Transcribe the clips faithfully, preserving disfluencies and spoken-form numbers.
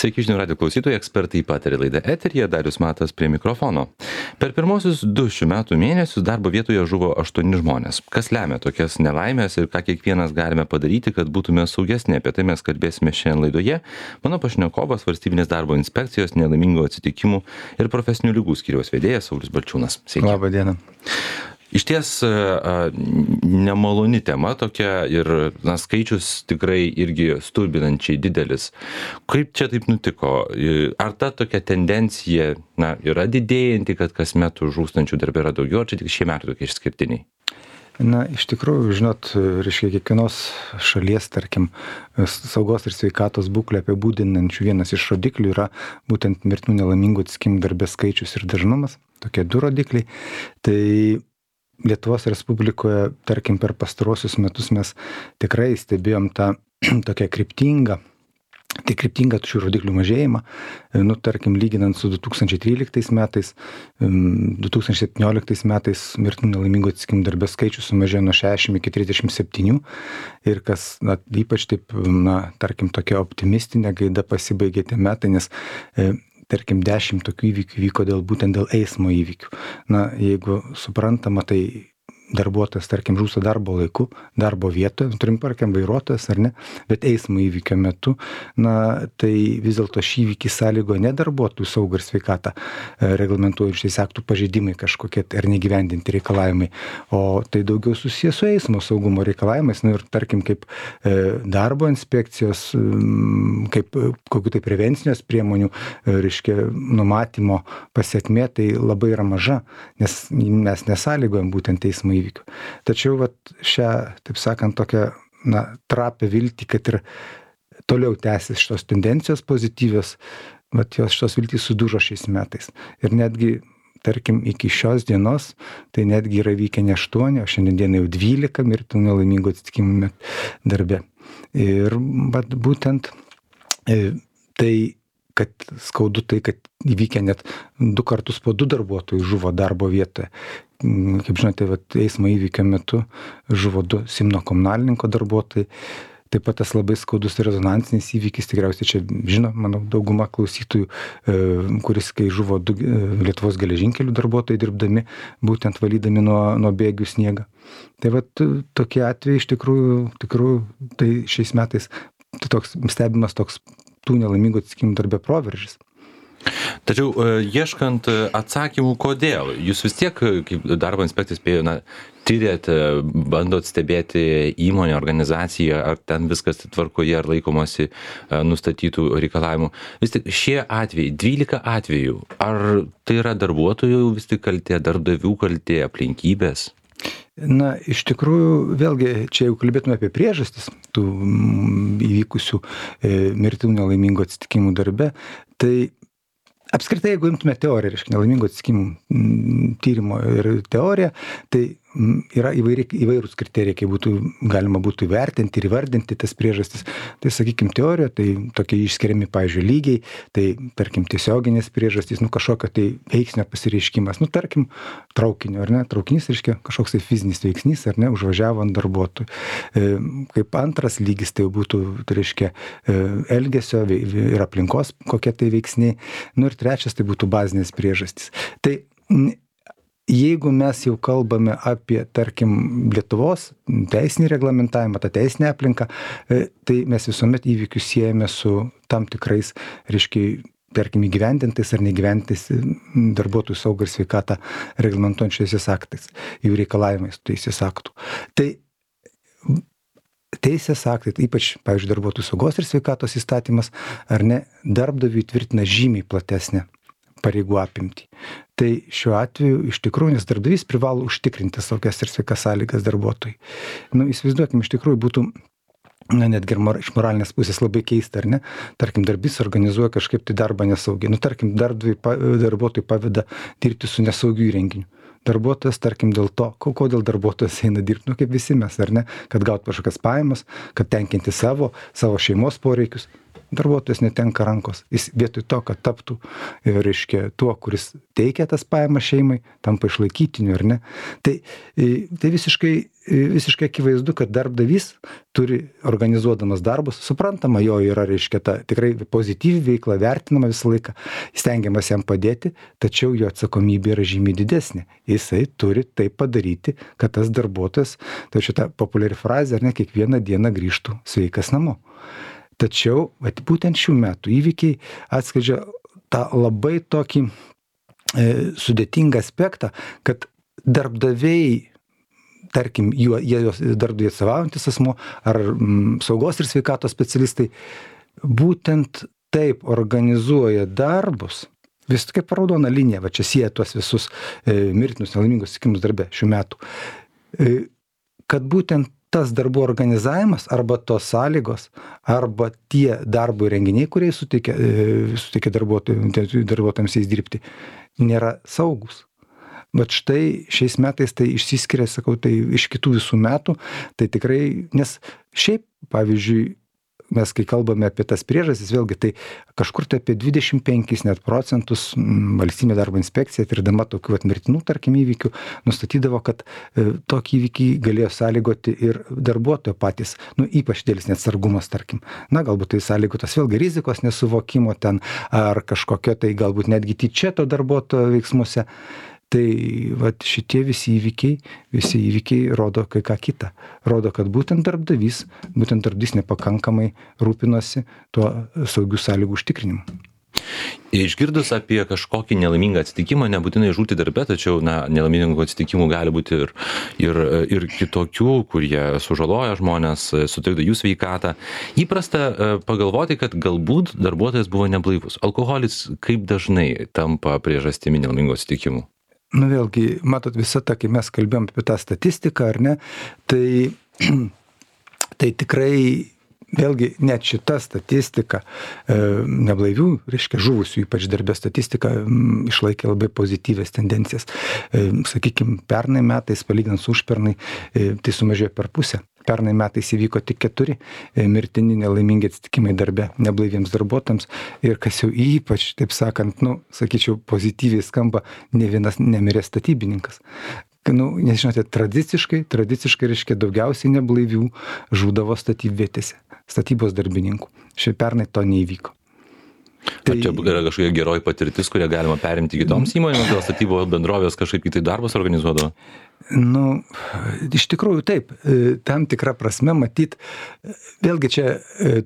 Sveiki žinių radijo klausytojai, ekspertai pataria laida eteryje, Darius Matas prie mikrofono. Per pirmosius du šių metų mėnesius darbo vietoje žuvo aštuoni žmonės. Kas lemia tokias nelaimės ir ką kiekvienas galime padaryti, kad būtume saugesni, apie tai mes kalbėsime šiandien laidoje. Mano pašnekovas valstybinės darbo inspekcijos nelaimingų atsitikimų ir profesinių ligų skyriaus vedėjas Saulius Balčiūnas. Sveiki. Labą dieną. Iš ties nemaloni tema tokia ir na, skaičius tikrai irgi stulbinančiai didelis. Kaip čia taip nutiko? Ar ta tokia tendencija na, yra didėjanti, kad kas metų žūstančių darbė yra daugiau, ar čia tik šie metai tokie išskirtiniai? Na, iš tikrųjų, žinot, reiškia, kiekvienos šalies, tarkim, saugos ir sveikatos būklę apibūdinančių vienas iš rodiklių yra būtent mirtinų nelaimingų atsitikimų darbe skaičius ir dažnumas, tokie du rodikliai. Tai Lietuvos Respublikoje, tarkim, per pastarosius metus mes tikrai stebėjom tą tokią kryptingą, tai kryptingą šių rodiklių mažėjimą. Nu, tarkim, lyginant su du tūkstančiai tryliktais metais, du tūkstančiai septynioliktais metais mirtinų nelaimingų atsitikimų darbe skaičius sumažėjo nuo šešiasdešimt iki trisdešimt septynių ir kas, na, ypač taip, na, tarkim, tokia optimistinė gaida pasibaigė tie metai, nes e, tarkim, dešimt tokių įvykių vyko dėl, būtent dėl eismo įvykių. Na, jeigu suprantama, tai darbuotojas, tarkim, žūsta darbo laiku, darbo vietoje, turim parkiam vairuotojas ar ne, bet eismo įvykio metu, na, tai vis dėlto šį įvykį sąlygo ne darbuotojų saugą ir sveikatą reglamentuojančiais aktų pažeidimai kažkokie ar negyvendinti reikalavimai, o tai daugiau susijęs su eismo saugumo reikalavimais, nu ir tarkim, kaip darbo inspekcijos, kaip kokių tai prevencinės priemonių, reiškia, numatymo pasiekmė, tai labai yra maža, nes mes nesąlygojam būtent eismo įvykių. Tačiau vat, šią, taip sakant, tokią na, trapę viltį, kad ir toliau tęsis šitos tendencijos pozityvios, vat, jos šitos viltys sudužo šiais metais. Ir netgi, tarkim, iki šios dienos, tai netgi yra vykę ne aštuoni, o šiandien dienai jau dvylika mirtinų nelaimingų atsitikimų darbe. Ir vat, būtent e, tai kad skaudu tai, kad įvykę net du kartus po du darbuotojų žuvo darbo vietoje. Kaip žinote, vat, eismo įvykio metu žuvo du Simno komunalininko darbuotojai. Taip pat tas labai skaudus rezonansinis įvykis, tikriausiai čia žino, manau, dauguma klausytojų, kuris, kai žuvo du Lietuvos geležinkelių darbuotojai dirbdami, būtent valydami nuo, nuo bėgių sniegą. Tai vat, tokie atvejai iš tikrųjų, tikrųjų, tai šiais metais tai toks, stebimas toks tų nelaimingų atsitikimų darbe proveržis. Tačiau ieškant atsakymų, kodėl, jūs vis tiek, kaip darbo inspekcijos spėjo, na, tyrėt, bandot stebėti įmonę, organizaciją, ar ten viskas tvarkoje, ar laikomasi nustatytų reikalavimų. Vis tik šie atvejai, dvylika atvejų, ar tai yra darbuotojų vis tik kaltė, darbdavių kaltė, aplinkybės? Na, iš tikrųjų, vėlgi, čia jau kalbėtume apie priežastis tų įvykusių e, mirtinų nelaimingų atsitikimų darbe, tai apskritai, jeigu imtume teoriją, reiškia, nelaimingų atsitikimų tyrimo ir teoriją, tai yra įvairi, įvairūs kriterijai, kai būtų, galima būtų įvertinti ir įvardinti tas priežastis. Tai, sakykime, teorija, tai tokie išskiriami, pavyzdžiui, lygiai, tai, tarkim, tiesioginės priežastys, nu, kažkokio tai veiksnio pasireiškimas, nu, tarkim, traukinio, ar ne, traukinys, reiškia, kažkoks tai fizinis veiksnys, ar ne, užvažiavo ant darbuotojų. E, kaip antras lygis, tai būtų, tai reiškia, elgesio ir aplinkos kokie tai veiksniai. Nu, ir trečias, tai būtų bazinės priežastys. Tai jeigu mes jau kalbame apie, tarkim, Lietuvos teisinį reglamentavimą, tą teisinę aplinką, tai mes visuomet įvykius siejame su tam tikrais, reiškia, tarkim, įgyvendintais ar negyvendintais darbuotojų saugą ir sveikatą reglamentuojančiais aktais, jų reikalavimais teisės aktų. Tai teisės aktai, ypač, pavyzdžiui, darbuotojų saugos ir sveikatos įstatymas, ar ne, darbdaviui tvirtina žymiai platesnę pareigų apimtį. Tai šiuo atveju iš tikrųjų, nes darbdavys privalo užtikrinti saugias ir sveikas sąlygas darbuotojui. Nu, įsivaizduokim, iš tikrųjų būtų, na, netgi iš moralinės pusės labai keista, ar ne? Tarkim, darbdavys organizuoja kažkaip tai darbą nesaugiai. Nu, tarkim, darbuotojui paveda dirbti su nesaugiu įrenginiu. Darbuotojas, tarkim, dėl to, kodėl darbuotojas eina dirbti, nu, kaip visi mes, ar ne? Kad gauti kažkokias pajamas, kad tenkinti savo, savo šeimos poreikius. darbuotojas netenka rankos. Jis vietoj to, kad taptų, reiškia, tuo, kuris teikia tas pajamas šeimai, tampa išlaikytiniu, ar ne. Tai, tai visiškai, visiškai akivaizdu, kad darbdavys turi organizuodamas darbus, suprantama, jo yra, reiškia, ta tikrai pozityvi veikla, vertinama visą laiką, stengiamas jam padėti, tačiau jo atsakomybė yra žymiai didesnė. Jisai turi tai padaryti, kad tas darbuotojas, tai šita populiari frazė, ar ne, kiekvieną dieną grįžtų sveikas namo. Tačiau vat, būtent šių metų įvykiai atskleidžia tą labai tokį e, sudėtingą aspektą, kad darbdaviai, tarkim, jie, jie darbdaviai atstovaujantis asmuo ar m, saugos ir sveikatos specialistai, būtent taip organizuoja darbus, vis kaip raudona linija, va čia sieja tuos visus e, mirtinus nelaimingus atsitikimus darbe šių metų, e, kad būtent tas darbų organizavimas arba tos sąlygos, arba tie darbo renginiai, kurie suteikia, suteikia darbuotojams jais dirbti, nėra saugus. Bet štai šiais metais tai išsiskiria, sakau, tai iš kitų visų metų, tai tikrai, nes šiaip, pavyzdžiui, mes kai kalbame apie tas priežastis, vėlgi tai kažkur tai apie dvidešimt penkis net procentus valstybinė darbo inspekcija, tirdama tokių atmirtinų, tarkim, įvykių, nustatydavo, kad e, tokį įvykį galėjo sąlygoti ir darbuotojo patys, nu, ypač dėlis neatsargumas, tarkim. Na, galbūt tai sąlygotas vėlgi rizikos nesuvokimo ten, ar kažkokio tai galbūt netgi tyčia to darbuotojo veiksmuose. Tai vat, šitie visi įvykiai, visi įvykiai rodo kai ką kitą. Rodo, kad būtent darbdavys, būtent darbdavys nepakankamai rūpinosi tuo saugių sąlygų užtikrinimu. Išgirdus apie kažkokį nelaimingą atsitikimą, nebūtinai žūti darbe, tačiau na, nelaimingų atsitikimų gali būti ir, ir, ir kitokių, kurie sužaloja žmonės, sutrikdo jų sveikatą. Įprasta pagalvoti, kad galbūt darbuotojas buvo neblaivus. Alkoholis kaip dažnai tampa priežastimi nelaimingų atsitikimų? Nu vėlgi, matot, visą tą, kai mes kalbėjom apie tą statistiką, ar ne, tai, tai tikrai, vėlgi, net šita statistika, e, neblaivių, reiškia, žuvusių, ypač darbė statistika, m, išlaikė labai pozityvės tendencijas. E, sakykime, pernai metais, palyginant su užpernai, e, tai sumažėjo per pusę. Pernai metais įvyko tik keturi mirtini nelaimingi atsitikimai darbe neblaiviems darbuotojams ir kas jau ypač, taip sakant, nu, sakyčiau, pozityviai skamba, ne vienas nemirė statybininkas. Nu, nežinote, tradiciškai, tradiciškai reiškia daugiausiai neblaivių žūdavo statybvietėse, statybos darbininkų. Šiaip pernai to neįvyko. Tai... Ar čia yra kažkokia geroji patirtis, kurią galima perimti kitoms įmonėms, gal statybos bendrovės kažkaip kitai darbus organizuodavo? Nu, iš tikrųjų taip, tam tikrą prasme matyt, vėlgi čia,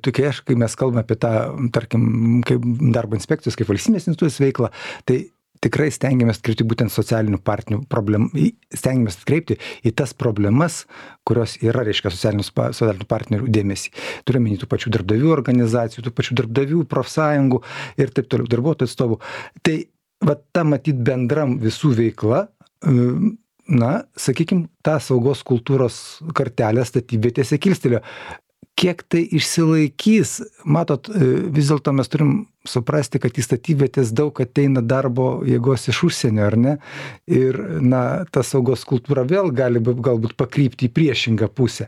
tokie, kai mes kalbame apie tą, tarkim, kaip darbo inspekcijos, kaip valstybės institucijos veiklą, tai tikrai stengiamės atkreipti būtent socialinių partnerių problem, stengiamės atkreipti į tas problemas, kurios yra, reiškia, socialinių partnerių dėmesį. Turime į tų pačių darbdavių organizacijų, tų pačių darbdavių, profsąjungų ir taip toliau, darbuotojų atstovų. Tai va ta matyt bendram visų veikla, na, sakykime, tą saugos kultūros kartelę statybvietėse kilstelėjo. Kiek tai išsilaikys, matot, vis dėlto mes turim suprasti, kad į statybvietės daug ateina darbo jėgos iš užsienio, ar ne? Ir, na, ta saugos kultūra vėl gali galbūt pakrypti į priešingą pusę.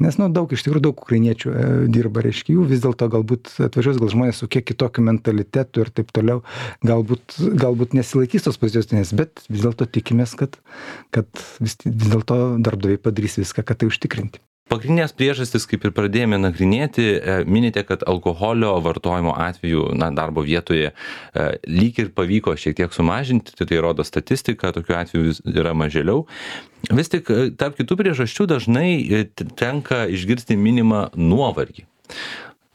Nes, nu, daug, iš tikrųjų, daug ukrainiečių e, dirba, reiškia, jų vis dėlto galbūt atvažiuos gal žmonės su kiek kitokiu mentalitetu ir taip toliau, galbūt, galbūt nesilaikys tos pozicijos, bet vis dėlto tikimės, kad, kad vis, vis dėlto darbdaviai padarys viską, kad tai užtikrinti. Pagrindinės priežastis, kaip ir pradėjome nagrinėti, minite, kad alkoholio vartojimo atveju na, darbo vietoje lyg ir pavyko šiek tiek sumažinti, tai rodo statistika, tokių atvejų yra mažėliau. Vis tik tarp kitų priežasčių dažnai tenka išgirsti minimą nuovargį.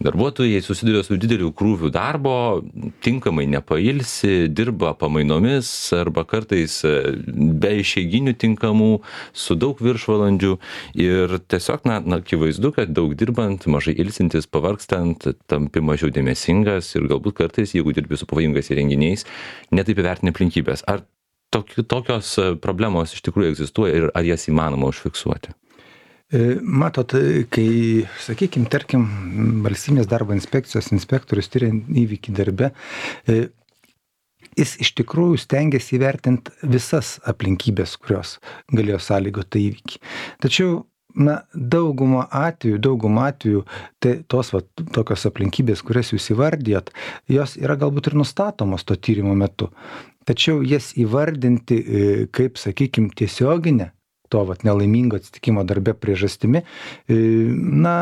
Darbuotojai susiduria su dideliu krūviu darbo, tinkamai nepailsi, dirba pamainomis arba kartais be išeiginių tinkamų, su daug viršvalandžių ir tiesiog, na, na, akivaizdu, kad daug dirbant, mažai ilsintis, pavargstant, tampi mažiau dėmesingas ir galbūt kartais, jeigu dirbi su pavojingais įrenginiais, netaip įvertini aplinkybės. Ar tokios problemos iš tikrųjų egzistuoja ir ar jas įmanoma užfiksuoti? Matot, kai, sakykime, tarkim, valstybinės darbo inspekcijos inspektorius tyria įvykį darbe, jis iš tikrųjų stengiasi įvertinti visas aplinkybės, kurios galėjo sąlygoti tą įvykį. Tačiau na, daugumą atvejų, daugumą atvejų, tai tos va, tokios aplinkybės, kurias jūs įvardijat, jos yra galbūt ir nustatomos to tyrimo metu. Tačiau jas įvardinti kaip, sakykime, tiesioginę to vat, nelaimingo atsitikimo darbe priežastimi, na,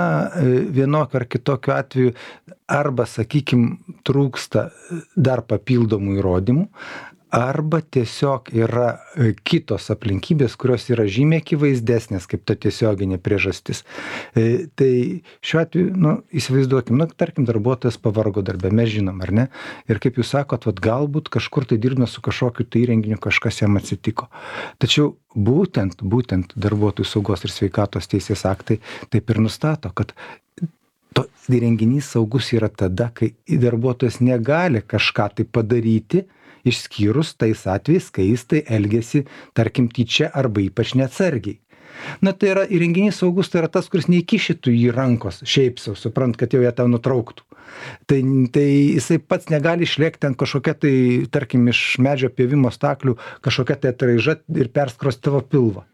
vienokio ar kitokio atveju arba, sakykime, trūksta dar papildomų įrodymų, arba tiesiog yra kitos aplinkybės, kurios yra žymiai akivaizdesnės kaip ta tiesioginė priežastis. Tai šiuo atveju, nu, įsivaizduokim, nu, tarkim, darbuotojas pavargo darbe, mes žinom, ar ne? Ir kaip jūs sakot, vat, galbūt kažkur tai dirbame su kažkokiu tai įrenginiu, kažkas jam atsitiko. Tačiau būtent, būtent darbuotojų saugos ir sveikatos teisės aktai taip ir nustato, kad to įrenginys saugus yra tada, kai darbuotojas negali kažką tai padaryti, išskyrus tais atvejais, kai jis tai elgiasi, tarkim, tyčia arba ypač neatsargiai. Na, tai yra įrenginys saugus, tai yra tas, kuris neįkišytų į rankos, šiaip sau, suprant, kad jau jie tą nutrauktų. Tai, tai jisai pats negali išlėkti ant kažkokia tai, tarkim, iš medžio pjovimo staklių, kažkokia tai atraiža ir perskrosti tavo pilvą.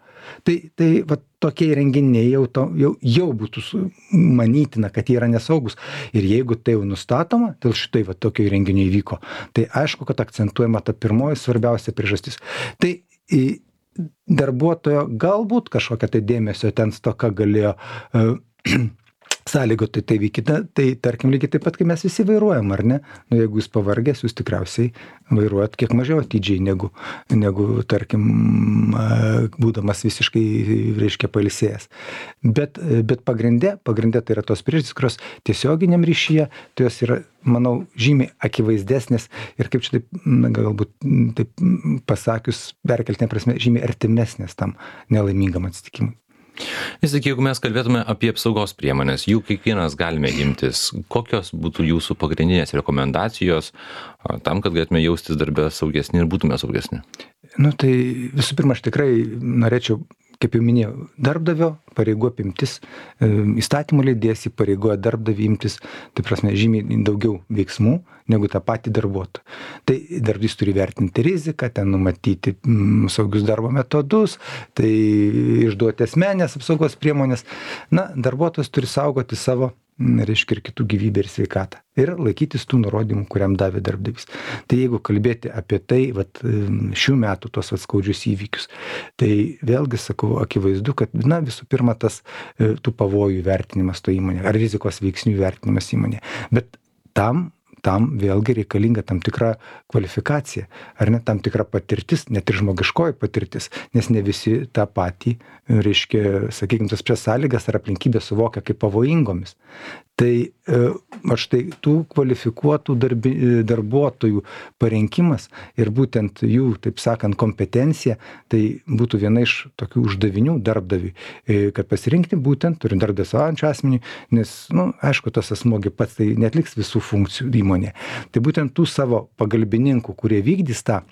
Tai, tai va, tokie įrenginiai jau, to, jau, jau būtų manytina, kad jie yra nesaugus. Ir jeigu tai jau nustatoma, dėl šitai va, tokio įrenginio įvyko, tai aišku, kad akcentuojama ta pirmoji svarbiausia priežastis. Tai į darbuotojo galbūt kažkokia tai dėmesio ten stoka galėjo uh, sąlygoti tai vykite, tai tarkim lygiai taip pat, kai mes visi vairuojam, ar ne? Nu, jeigu jūs pavargęs, jūs tikriausiai vairuojat kiek mažiau atidžiai negu, negu tarkim, būdamas visiškai, reiškia, pailsėjęs. Bet, bet pagrindė, pagrindė tai yra tos priežastys, kurios tiesioginiam ryšyje, tai jos yra, manau, žymiai akivaizdesnės ir kaip čia taip, galbūt taip pasakius, perkeltinė prasme, žymiai artimesnės tam nelaimingam atsitikimui. Vis tik, jeigu mes kalbėtume apie apsaugos priemonės, jų kiekvienas galime imtis, kokios būtų jūsų pagrindinės rekomendacijos tam, kad galėtume jaustis darbe saugesni ir būtume saugesni? Nu, tai visų pirma, aš tikrai norėčiau, kaip jau minėjau, darbdavio pareigų apimtis, įstatymų leidėjas įpareigoja darbdavį imtis, tai prasme, žymiai daugiau veiksmų negu tą patį darbuotoją. Tai darbdavys turi vertinti riziką, ten numatyti mm, saugius darbo metodus, tai išduoti asmenės apsaugos priemonės. Na, darbuotojas turi saugoti savo, reiškia, ir kitų gyvybę ir sveikatą. Ir laikytis tų nurodymų, kuriam davė darbdavys. Tai jeigu kalbėti apie tai, vat, šių metų tos vat, skaudžius įvykius, tai vėlgi sakau, akivaizdu, kad na, visų pirma tas tų pavojų vertinimas to įmonė, ar rizikos veiksnių vertinimas įmonė. Bet tam tam vėlgi reikalinga tam tikra kvalifikacija, ar ne tam tikra patirtis, net ir žmogiškoji patirtis, nes ne visi tą patį, reiškia, sakykime, tas prie sąlygas ar aplinkybės suvokia kaip pavojingomis. Tai aš tai tų kvalifikuotų darbi, darbuotojų parinkimas ir būtent jų, taip sakant, kompetencija, tai būtų viena iš tokių uždavinių darbdaviui, kad pasirinkti būtent, turint darbdavį savaujančią asmenį, nes, nu, aišku, tas asmogi pats tai netliks visų funkcijų įmonė. Tai būtent tų savo pagalbininkų, kurie vykdys tą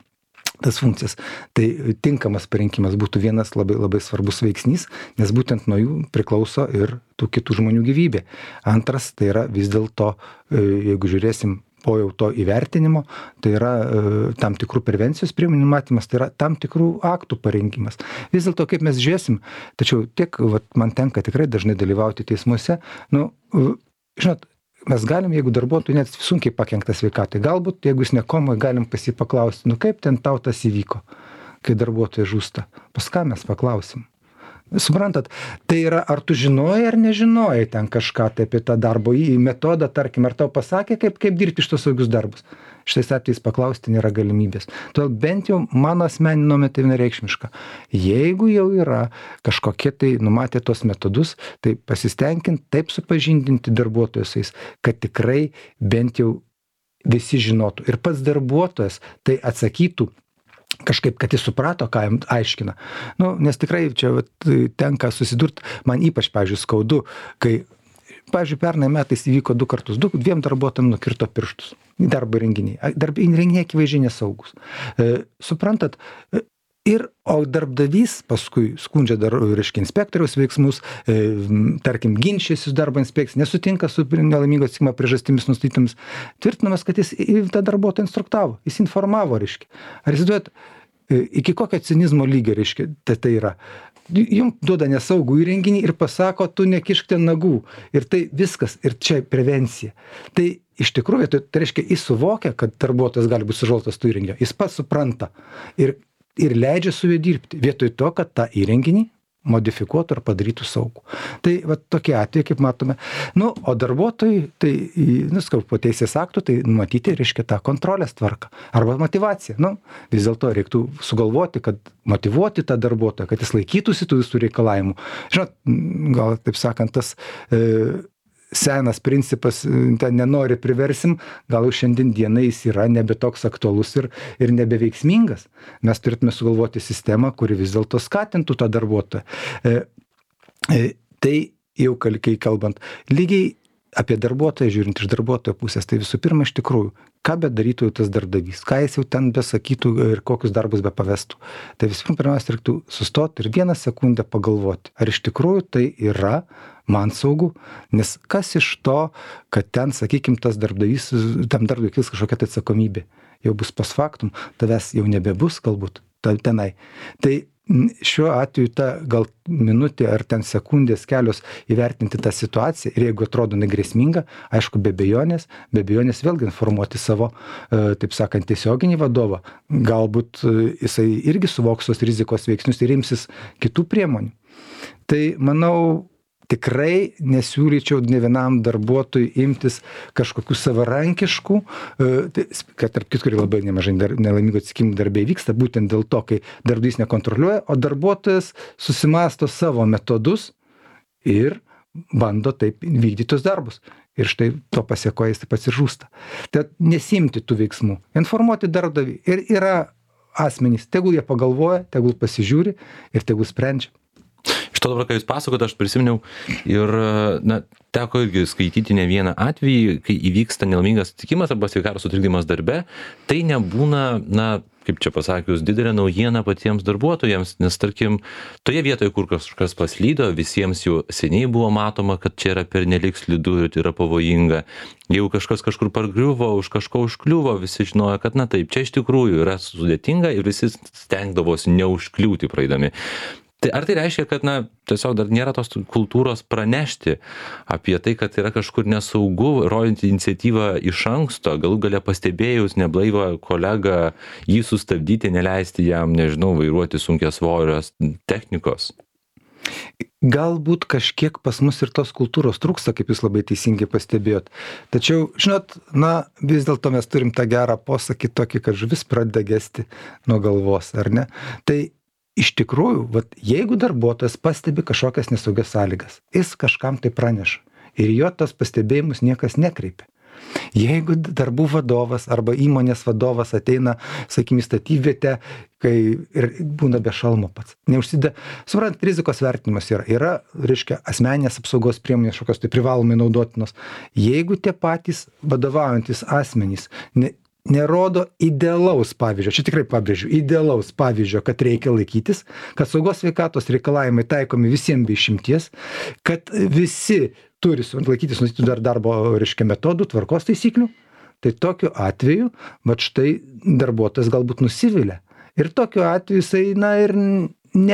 tas funkcijas, tai tinkamas parinkimas būtų vienas labai, labai svarbus veiksnys, nes būtent nuo jų priklauso ir tų kitų žmonių gyvybė. Antras, tai yra vis dėlto, jeigu žiūrėsim po jau to įvertinimo, tai yra tam tikrų prevencijos priemonių matymas, tai yra tam tikrų aktų parengimas. Vis dėlto, kaip mes žiūrėsim, tačiau tiek, vat, man tenka tikrai dažnai dalyvauti teismuose, nu, žinot, mes galim, jeigu darbuotojui net sunkiai pakenktas sveikatai, galbūt, jeigu jis nekomoj, galim pasipaklausti, nu kaip ten tau tas įvyko, kai darbuotojai žūsta. Pas ką mes paklausim? Suprantat, tai yra, ar tu žinojai ar nežinojai ten kažką tai apie tą darbo į metodą, tarkim, ar tau pasakė, kaip, kaip dirbti šitos saugius darbus. Šitais atvejais paklausti nėra galimybės. Todėl bent jau mano asmeninė nuomonė tai vienareikšmiška. Jeigu jau yra kažkokie tai numatę tos metodus, tai pasistengint taip supažindinti darbuotojus, kad tikrai bent jau visi žinotų. Ir pats darbuotojas tai atsakytų kažkaip, kad jis suprato, ką jam aiškina. Nu, nes tikrai čia vat, tenka susidurti, man ypač, pavyzdžiui, skaudu, kai, pavyzdžiui, pernai metais įvyko du kartus, du, dviem darbuotojam nukirto pirštus. Darbo renginiai. Darbo renginiai akivaizdžiai nesaugus. E, suprantat, ir, o darbdavys paskui skundžia dar, reiškia, inspektoriaus veiksmus, e, tarkim, ginčiasi su darbo inspekcija, nesutinka su nelaimingo atsitikimo priežastimis nustatytomis, tvirtinamas, kad jis tą darbuotoją instruktavo, jis informavo, reiškia. Ar įsivaizduojat, iki kokio cinizmo lygio, reiškia, tai, tai yra. jums duoda nesaugų įrenginį ir pasako, tu nekišk ten nagų. Ir tai viskas, ir čia prevencija. Tai iš tikrųjų, tai, tai reiškia, jis suvokia, kad darbuotojas gali būti sužalotas tų įrenginio. Jis pats supranta ir, ir leidžia su juo dirbti, vietoj to, kad tą įrenginį modifikuotų ar padarytų saugų. Tai va tokie atvejai, kaip matome. Nu, o darbuotojai, tai, nu, skau, po teisės aktų, tai matyti, reiškia, tą kontrolės tvarką. Arba motivacija. Nu, vis dėlto reiktų sugalvoti, kad motivuoti tą darbuotoją, kad jis laikytųsi tų visų reikalavimų. Žinot, gal, taip sakant, tas e, senas principas, ten nenori priversim, gal jau šiandien dienai jis yra nebe toks aktualus ir, ir nebeveiksmingas. Mes turėtume sugalvoti sistemą, kuri vis dėlto skatintų tą darbuotoją. E, e, tai jau kai kalbant, lygiai apie darbuotoją, žiūrint iš darbuotojo pusės, tai visų pirma, iš tikrųjų, ką bedarytų tas darbdavys, ką jis jau ten besakytų ir kokius darbus be pavestų. Tai visų pirma, pirmiausia, reiktų sustoti ir vieną sekundę pagalvoti, ar iš tikrųjų tai yra man saugu, nes kas iš to, kad ten, sakykim, tas darbdavys, tam darbdaviui kils kažkokia tai atsakomybė, jau bus post factum, tavęs jau nebebus galbūt tenai. Tai šiuo atveju ta gal minutė ar ten sekundės kelios įvertinti tą situaciją ir jeigu atrodo negrėsminga, aišku, be abejonės, be abejonės vėlgi informuoti savo, taip sakant, tiesioginį vadovą. Galbūt jisai irgi suvoks tos rizikos veiksnius ir imsis kitų priemonių. Tai manau, tikrai nesiūlyčiau ne vienam darbuotojui imtis kažkokių savarankiškų, kad tarp kitų labai nemažai nelaimingų atsitikimų darbe vyksta, būtent dėl to, kai darbdavys nekontroliuoja, o darbuotojas susimąsto savo metodus ir bando taip vykdyti tos darbus. Ir štai to pasiekoja jis taip pats ir žūsta. Tad nesimti tų veiksmų, informuoti darbdavį. Ir yra asmenys, tegul jie pagalvoja, tegul pasižiūri ir tegul sprendžia. Iš to dabar, ką jūs pasakot, aš prisiminiau ir, na, teko irgi skaityti ne vieną atvejį, kai įvyksta nelaimingas atsitikimas arba sveikatos sutrikdymas darbe, tai nebūna, na, kaip čia pasakius, didelė naujiena patiems darbuotojams, nes, tarkim, toje vietoje, kur kažkas paslydo, visiems jau seniai buvo matoma, kad čia yra pernelik slidu ir yra pavojinga. Jeigu kažkas kažkur pargriuvo, už kažko užkliuvo, visi žinojo, kad, na taip, čia iš tikrųjų yra sudėtinga ir visi stengdavosi neužkliūti praeidami. Tai ar tai reiškia, kad, na, tiesiog dar nėra tos kultūros pranešti apie tai, kad yra kažkur nesaugu, rodinti iniciatyvą iš anksto, galų gale pastebėjus neblaivą kolegą, jį sustabdyti, neleisti jam, nežinau, vairuoti sunkiasvorios technikos? Galbūt kažkiek pas mus ir tos kultūros trūksta, kaip jūs labai teisingai pastebėjot. Tačiau, žinot, na, vis dėlto mes turim tą gerą posakį tokį, kad žuvis pradeda gesti nuo galvos, ar ne? Tai iš tikrųjų, vat, jeigu darbuotojas pastebi kažkokias nesaugias sąlygas, jis kažkam tai praneša ir jo tos pastebėjimus niekas nekreipia. Jeigu darbų vadovas arba įmonės vadovas ateina, sakykime, į statybvietę, kai ir būna be šalmo pats, neužsideda, suprant, rizikos vertinimas yra, yra, reiškia, asmeninės apsaugos priemonės šokios tai privalomai naudotinos. Jeigu tie patys vadovaujantis asmenys ne, nerodo idealaus pavyzdžio, čia tikrai pabrėžiu, idealaus pavyzdžio, kad reikia laikytis, kad saugos sveikatos reikalavimai taikomi visiems be išimties, kad visi turi laikytis nustatytų dar darbo, reiškia, metodų, tvarkos taisyklių, tai tokiu atveju, vat štai darbuotojas galbūt nusivilia. Ir tokiu atveju jisai, na, ir ne,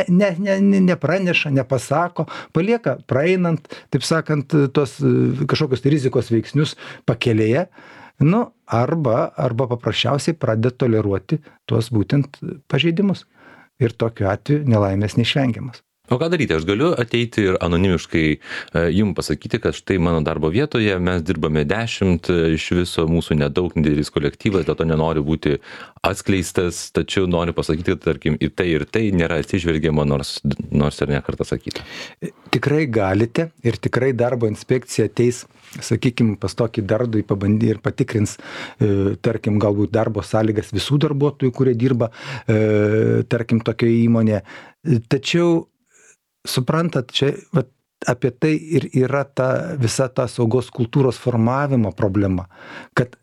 ne, ne, nepraneša, nepasako, palieka praeinant, taip sakant, tos kažkokios rizikos veiksnius pakelėje, nu, arba, arba paprasčiausiai pradeda toleruoti tuos būtent pažeidimus. Ir tokiu atveju nelaimės neišvengiamas. O ką daryti? Aš galiu ateiti ir anonimiškai jums pasakyti, kad štai mano darbo vietoje mes dirbame dešimt, iš viso mūsų nedaug, nedidelis kolektyvas, dėl to nenoriu būti atskleistas, tačiau noriu pasakyti, kad, tarkim, į tai ir tai nėra atsižvelgiama, nors, nors ir ne kartą sakyta. Tikrai galite ir tikrai darbo inspekcija ateis, sakykime, pas tokį darbdavį pabandys ir patikrins, e, tarkim, galbūt darbo sąlygas visų darbuotojų, kurie dirba, e, tarkim, tokioje įmonėje. Tačiau suprantat, čia vat, apie tai ir yra ta visa ta saugos kultūros formavimo problema, kad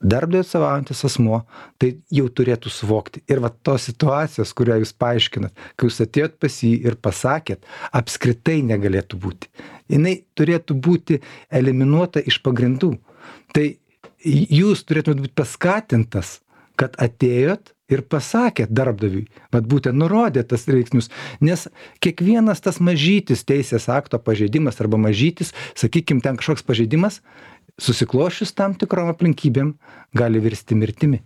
darbdavio atstovaujantis asmuo tai jau turėtų suvokti. Ir va tos situacijos, kurią jūs paaiškinat, kai jūs atėjot pas jį ir pasakėt, apskritai negalėtų būti. Jinai turėtų būti eliminuota iš pagrindų. Tai jūs turėtumėt būti paskatintas, kad atėjot ir pasakėt darbdaviui, vat būtent nurodė tas veiksnius, nes kiekvienas tas mažytis teisės akto pažeidimas arba mažytis, sakykim, ten kažkoks pažeidimas, susiklošius tam tikrom aplinkybėm, gali virsti mirtimi.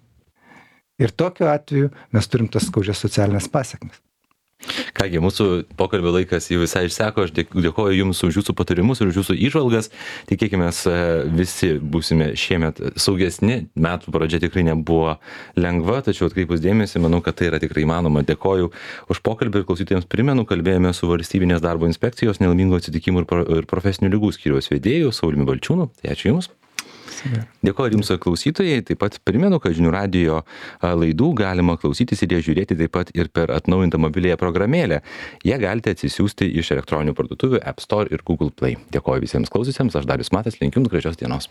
Ir tokiu atveju mes turim tas skaudžias socialinės pasiekmes. Kągi, mūsų pokalbio laikas jau visai išseko, aš dėkoju Jums už Jūsų patarimus ir už Jūsų įžvalgas. Tikėkime, visi būsime šiemet saugesni, metų pradžia tikrai nebuvo lengva, tačiau atkreipus dėmesį, manau, kad tai yra tikrai įmanoma. Dėkoju už pokalbį ir klausytojams primenu, kalbėjome su Valstybinės darbo inspekcijos nelaimingų atsitikimų ir profesinių ligų skyriaus vedėju Sauliumi Balčiūnu. Tai ačiū Jums. Dėkoju Jums klausytojai, taip pat primenu, kad Žinių radijo laidų galima klausytis ir jas žiūrėti taip pat ir per atnaujintą mobiliąją programėlę. Ją galite atsisiųsti iš elektroninių parduotuvių App Store ir Google Play. Dėkoju visiems klausysiams, aš Darius Matas, linkiu Jums gražios dienos.